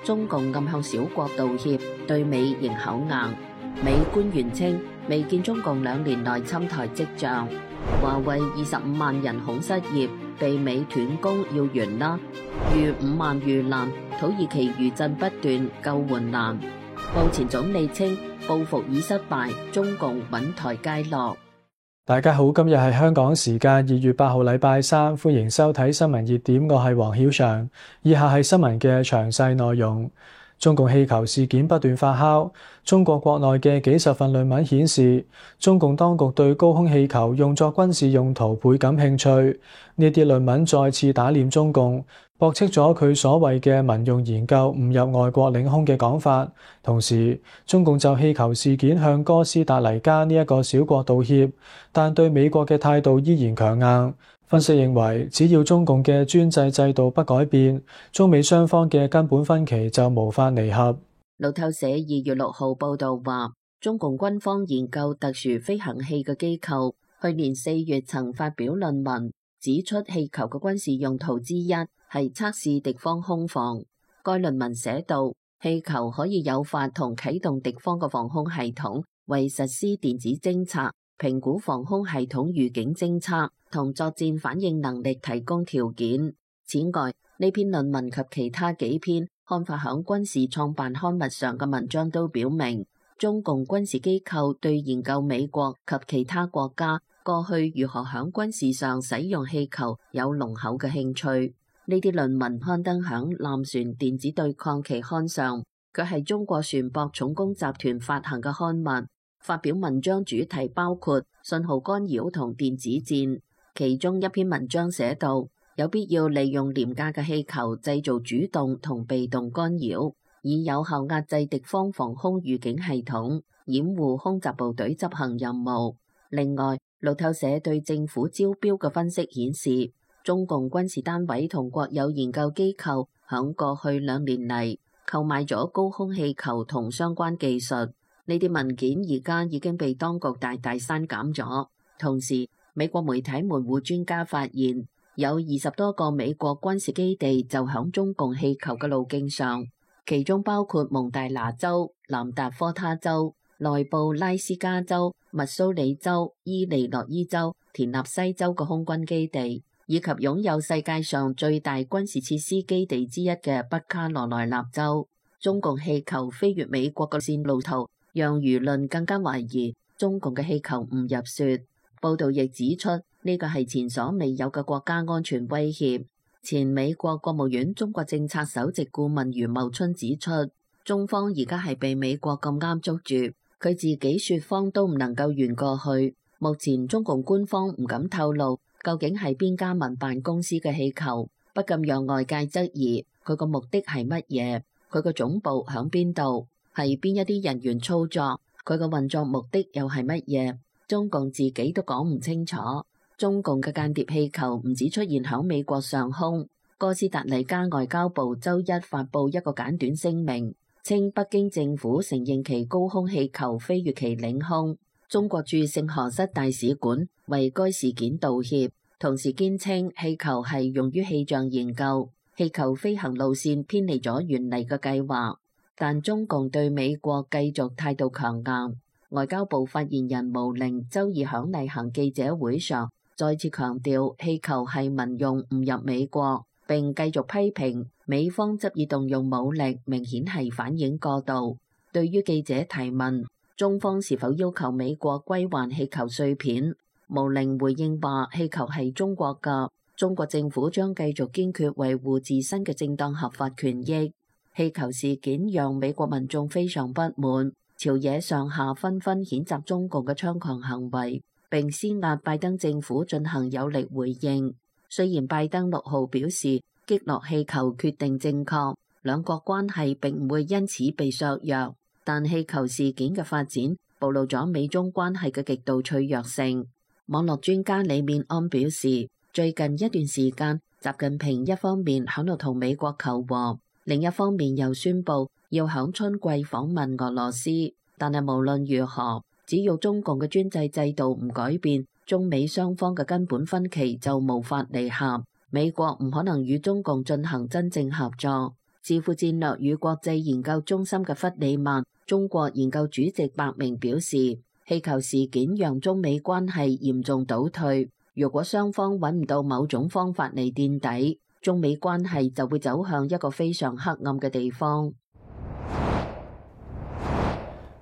中共暗向小國道歉，對美仍口硬。美官員稱未見中共2年內侵台跡象。華為25萬人恐失業，被美斷供要完啦。逾5萬遇難，土耳其餘震不斷，救援難。布前總理稱報復已失敗，中共穩台階落。大家好，今日係香港時間2月8號禮拜三，歡迎收睇新聞熱點，我係黃曉翔。以下係新聞嘅詳細內容。中共氣球事件不斷發酵，中國國內嘅幾十份論文顯示，中共當局對高空氣球用作軍事用途倍感興趣。呢啲論文再次打臉中共，駁斥咗佢所謂嘅民用研究誤入外國領空嘅講法。同時，中共就氣球事件向哥斯達黎加呢一個小國道歉，但對美國嘅態度依然強硬。分析認為，只要中共嘅專制制度不改變，中美雙方嘅根本分歧就無法彌合。路透社2月6號報道話，中共軍方研究特殊飛行器嘅機構去年4月曾發表論文，指出氣球嘅軍事用途之一係測試敵方空防。該論文寫道，氣球可以誘發同啟動敵方嘅防空系統，為實施電子偵察、評估防空系統預警偵測同作戰反應能力提供條件。此外，呢篇論文及其他幾篇刊發響軍事創辦刊物上嘅文章都表明，中共軍事機構對研究美國及其他國家過去如何響軍事上使用氣球有濃厚嘅興趣。呢啲論文刊登響艦船電子對抗期刊上，佢係中國船舶重工集團發行嘅刊物。發表文章主題包括信號干擾同電子戰。其中一篇文章寫道，有必要利用廉價嘅氣球製造主動同被動干擾，以有效壓制敵方防空預警系統，掩護空襲部隊執行任務。另外，路透社對政府招標嘅分析顯示，中共軍事單位同國有研究機構響過去2年嚟購買咗高空氣球同相關技術。呢啲文件而家已經被當局大大刪減咗。同時，美國媒體門戶專家發現，有20多個美國軍事基地就響中共氣球嘅路徑上，其中包括蒙大拿州、南達科他州、內布拉斯加州、密蘇里州、伊利諾伊州、田納西州嘅空軍基地，以及擁有世界上最大軍事設施基地之一嘅北卡羅來納州。中共氣球飛越美國嘅線路圖，讓輿論更加懷疑中共嘅氣球誤入雪。報道亦指出，呢個係前所未有嘅國家安全威脅。前美國國務院中國政策首席顧問余茂春指出，中方而家係被美國咁啱捉住，佢自己說謊都唔能夠圓過去。目前中共官方唔敢透露究竟係邊家民辦公司嘅氣球，不禁讓外界質疑佢個目的係乜嘢，佢個總部響邊度，係邊一啲人員操作，佢個運作目的又係乜嘢？中共自己都講唔清楚。中共嘅間諜氣球唔止出現響美國上空，哥斯達黎加外交部周一發布一個簡短聲明，稱北京政府承認其高空氣球飛越其領空。中國駐聖荷塞大使館為該事件道歉，同時堅稱氣球係用於氣象研究，氣球飛行路線偏離咗原嚟嘅計劃。但中共對美國繼續態度強硬。外交部發言人毛寧周二響例行記者會上再次強調氣球係民用誤入美國，並繼續批評美方執意動用武力，明顯係反應過度。對於記者提問中方是否要求美國歸還氣球碎片，毛寧回應話氣球係中國㗎，中國政府將繼續堅決維護自身嘅正當合法權益。氣球事件讓美國民眾非常不滿，朝野上下紛紛譴責中共嘅猖狂行為，並施壓拜登政府進行有力回應。雖然拜登6號表示擊落氣球決定正確，兩國關係並唔會因此被削弱，但氣球事件嘅發展暴露咗美中關係嘅極度脆弱性。網絡專家李勉安表示，最近一段時間，習近平一方面響度同美國求和，另一方面又宣布要響春季訪問俄羅斯。但係無論如何，只要中共嘅專制制度唔改變，中美雙方嘅根本分歧就無法彌合。美國唔可能與中共進行真正合作。智庫戰略與國際研究中心嘅弗里曼中國研究主席白明表示，氣球事件讓中美關係嚴重倒退。如果雙方揾唔到某種方法嚟墊底，中美關係就會走向一個非常黑暗嘅地方。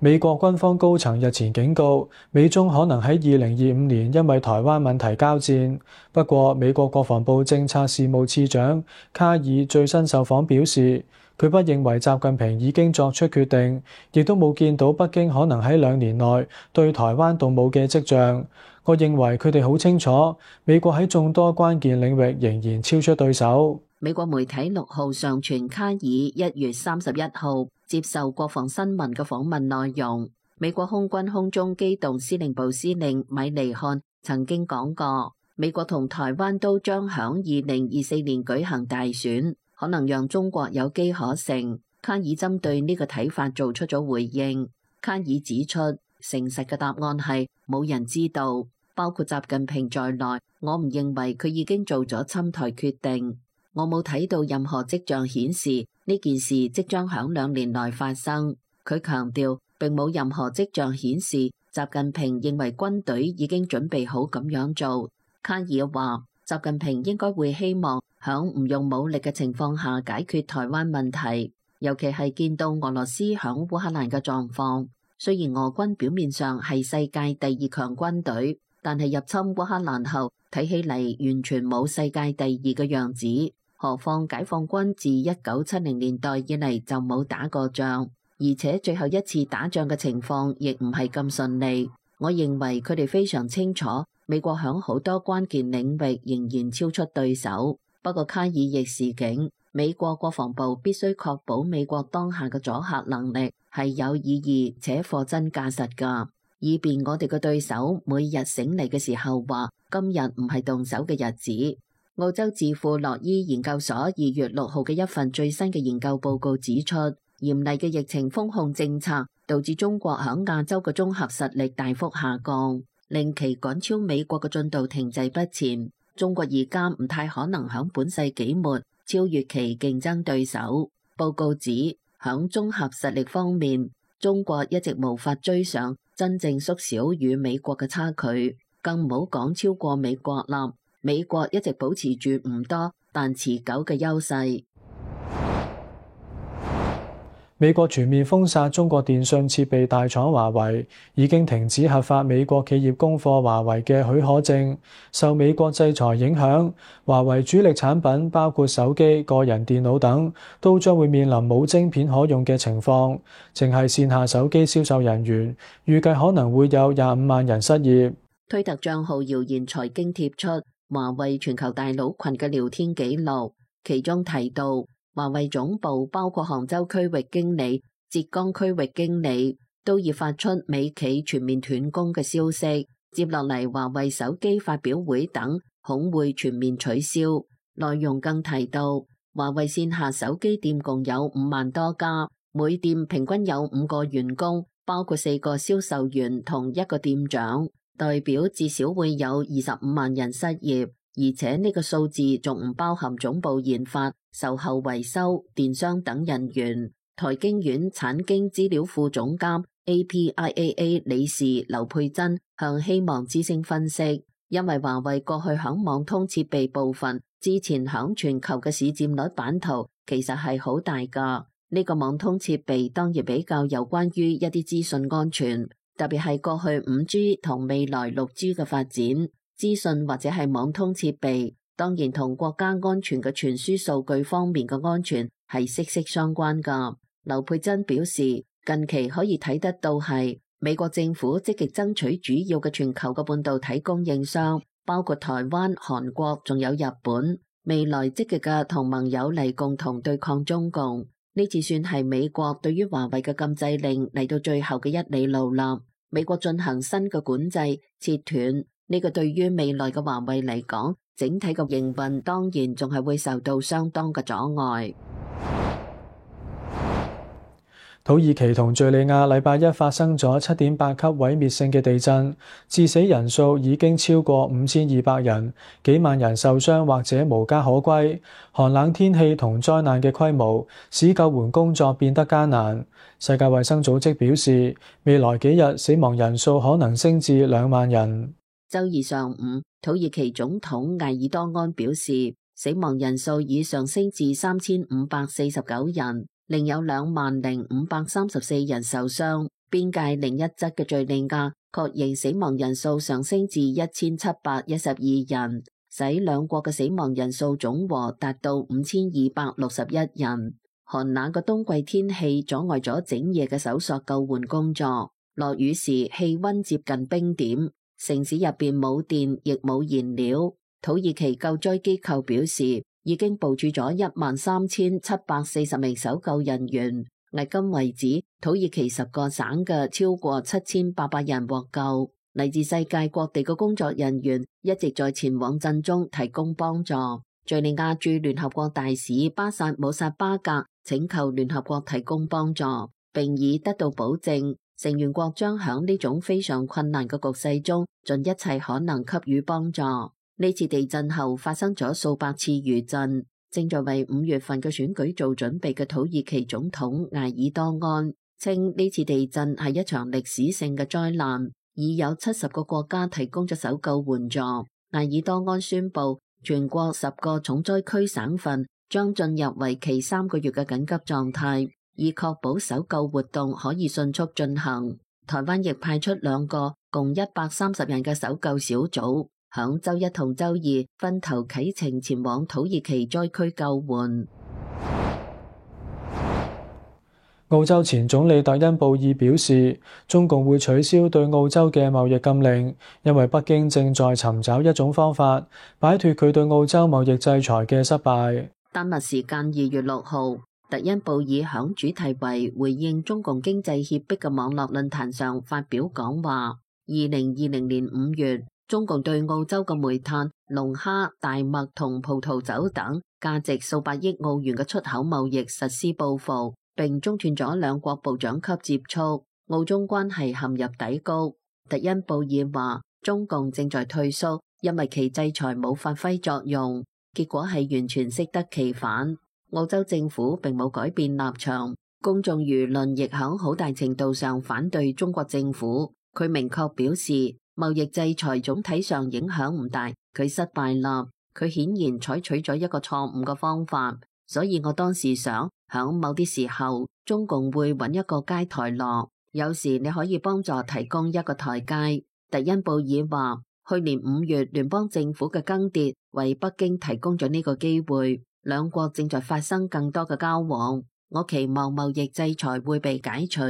美國軍方高層日前警告，美中可能喺2025年因為台灣問題交戰。不過，美國國防部政策事務次長卡爾最新受訪表示，佢不認為習近平已經作出決定，亦都冇見到北京可能喺2年內對台灣動武嘅跡象。我認為佢哋好清楚，美國喺眾多關鍵領域仍然超出對手。美國媒體6號上傳卡爾1月31號接受國防新聞嘅訪問內容。美國空軍空中機動司令部司令米尼漢曾經講過，美國同台灣都將響2024年舉行大選，可能讓中國有機可乘。卡爾針對呢個睇法做出咗回應。卡爾指出，誠實嘅答案係冇人知道，包括習近平在內，我唔認為佢已經做咗侵台決定。我冇睇到任何跡象顯示呢件事即將響2年內發生。佢強調，並冇任何跡象顯示習近平認為軍隊已經準備好咁樣做。卡爾話，習近平應該會希望響唔用武力嘅情況下解決台灣問題，尤其係見到俄羅斯響烏克蘭嘅狀況。雖然俄軍表面上係世界第2強軍隊，但係入侵烏克蘭後睇起嚟完全冇世界第2嘅樣子。何況解放軍自1970年代以嚟就冇打過仗，而且最後一次打仗嘅情況亦唔係咁順利。我認為佢哋非常清楚，美國響好多關鍵領域仍然超出對手。不過卡爾亦示警，美國國防部必須確保美國當下嘅阻嚇能力係有意義且貨真價實㗎，以便我哋嘅對手每日醒嚟嘅時候話今日唔係動手嘅日子。澳洲智庫洛伊研究所2月6號嘅一份最新嘅研究報告指出，嚴厲嘅疫情封控政策導致中國響亞洲嘅綜合實力大幅下降，令其趕超美國嘅進度停滯不前。中國而家唔太可能響本世紀末超越其競爭對手。報告指，響綜合實力方面，中國一直無法追上，真正縮小與美國嘅差距，更唔好講超過美國啦。美國一直保持住唔多但持久嘅優勢。美國全面封殺中國電信設備大廠華為，已經停止核發美國企業供貨華為嘅許可證。受美國制裁影響，華為主力產品包括手機、個人電腦等，都將會面臨冇晶片可用嘅情況。淨係線下手機銷售人員，預計可能會有25萬人失業。推特賬號謠言財經貼出華為全球大佬群嘅聊天記錄，其中提到華為總部包括杭州區域經理、浙江區域經理都已發出美企全面斷供嘅消息。接落嚟，華為手機發表會等恐會全面取消。內容更提到，華為線下手機店共有5萬多家，每店平均有5個員工，包括4個銷售員同1個店長。代表至少會有25萬人失業，而且呢個數字仲唔包含總部研發、售後維修、電商等人員。台經院產經資料庫總監 APIAA 理事劉佩珍向希望之聲分析，因為華為過去響網通設備部分之前響全球嘅市佔率版圖其實係好大㗎。呢個網通設備當然比較有關於一啲資訊安全。特別係過去5G 同未來6G 嘅發展，資訊或者係網通設備，當然同國家安全嘅傳輸數據方面嘅安全係息息相關㗎。劉佩珍表示，近期可以睇得到係美國政府積極爭取主要嘅全球嘅半導體供應商，包括台灣、韓國，仲有日本，未來積極嘅同盟友嚟共同對抗中共。呢次算係美國對於華為嘅禁制令嚟到最後嘅一里路啦。美國進行新嘅管制，切斷呢個對於未來嘅華為嚟講，整體嘅營運當然仲係會受到相當嘅阻礙。土耳其同敘利亞禮拜一發生咗7.8級毀滅性嘅地震，致死人數已經超過5200人，幾萬人受傷或者無家可歸。寒冷天氣同災難嘅規模使救援工作變得艱難。世界衛生組織表示，未來幾日死亡人數可能升至2萬人。周二上午，土耳其總統艾爾多安表示，死亡人數已上升至3549人。另有20534人受傷。邊界另一側嘅敘利亞確認死亡人數上升至1712人，使兩國嘅死亡人數總和達到5261人。寒冷嘅冬季天氣阻礙咗整夜嘅搜索救援工作。落雨時氣溫接近冰點，城市入邊冇電亦冇燃料。土耳其救災機構表示，已經部署咗13740名搜救人員。迄今為止，土耳其10個省嘅超過7800人獲救。嚟自世界各地嘅工作人員一直在前往震中提供幫助。敘利亞駐聯合國大使巴薩姆薩巴格請求聯合國提供幫助，並已得到保證，成員國將響呢種非常困難嘅局勢中盡一切可能給予幫助。呢次地震後發生咗數百次餘震。正在為5月份嘅選舉做準備嘅土耳其總統艾爾多安稱，呢次地震係一場歷史性嘅災難，已有70個國家提供咗搜救援助。艾爾多安宣布，全國10個重災區省份將進入為期3個月嘅緊急狀態，以確保搜救活動可以迅速進行。台灣亦派出2個共130人嘅搜救小組，響周一同周二分頭啟程前往土耳其災區救援。澳洲前總理特恩布爾表示，中共會取消對澳洲嘅貿易禁令，因為北京正在尋找一種方法擺脫佢對澳洲貿易制裁嘅失敗。丹麥時間2月6號，特恩布爾響主題為回應中共經濟脅迫嘅網絡論壇上發表講話。2020年5月，中共對澳洲嘅煤炭、龍蝦、大麥同葡萄酒等價值數百億澳元嘅出口貿易實施報復，並中斷咗兩國部長級接觸，澳中關係陷入低谷。特恩布爾話，中共正在退縮，因為其制裁冇發揮作用，結果係完全適得其反。澳洲政府並冇改變立場，公眾輿論亦響好大程度上反對中國政府。佢明確表示，貿易制裁總體上影響唔大，佢失敗啦。佢顯然採取咗一個錯誤嘅方法，所以我當時想，響某啲時候，中共會揾一個階台落，有時你可以幫助提供一個台階。特恩布爾話，去年5月聯邦政府嘅更迭為北京提供咗呢個機會，兩國正在發生更多嘅交往，我期望貿易制裁會被解除。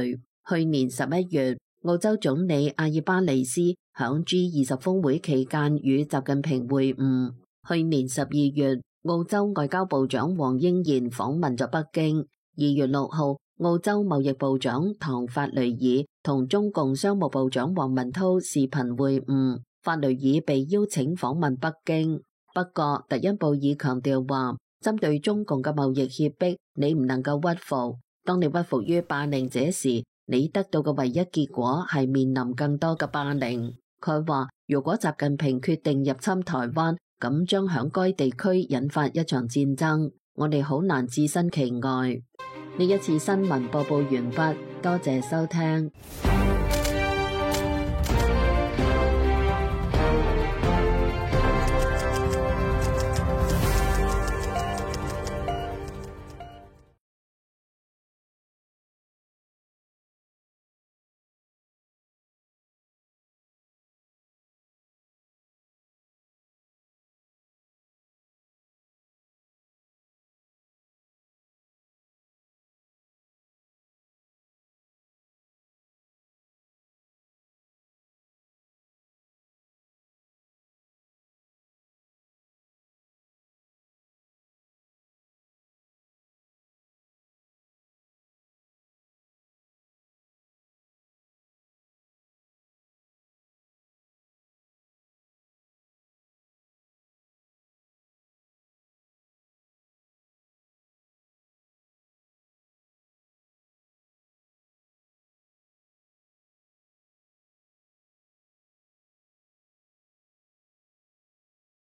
去年11月，澳洲總理阿爾巴尼斯響 G20 峰會期間與習近平會晤。去年12月，澳洲外交部長黃英賢訪問咗北京。2月6號，澳洲貿易部長唐法雷爾同中共商務部長王文濤視頻會晤，法雷爾被邀請訪問北京。不過，特恩布爾強調話，針對中共嘅貿易脅迫，你唔能夠屈服。當你屈服於霸凌者時，你得到嘅唯一結果係面臨更多嘅霸凌。佢話，如果習近平決定入侵台灣，咁將響該地區引發一場戰爭，我哋好難置身其外。呢一次新聞播報完畢，多謝收聽。